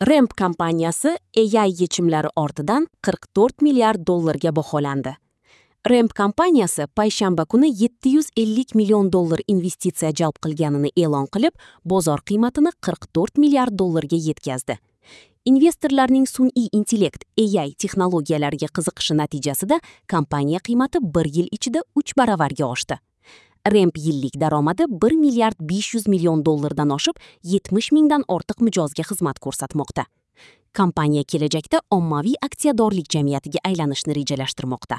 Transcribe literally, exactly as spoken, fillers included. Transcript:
Ramp kompaniyasi A I yechimlari ortidan qirq to'rt milliard dollarga baholandi. Ramp kompaniyasi payshanba kuni yetti yuz ellik million dollar investitsiya jalb qilganini e'lon qilib, bozor qiymatini qirq to'rt milliard dollarga yetkazdi. Investorlarning sun'iy intellekt A I texnologiyalariga qiziqishi natijasida kompaniya qiymati bir yil ichida uch baravarga oshdi. Ramp yillik daromadi bir milliard besh yuz million dollardan oshib, yetmish mingdan ortiq mijozga xizmat ko'rsatmoqda. Kompaniya kelajakda ommaviy aksiyadorlik jamiyatiga aylanishni rejalashtirmoqda.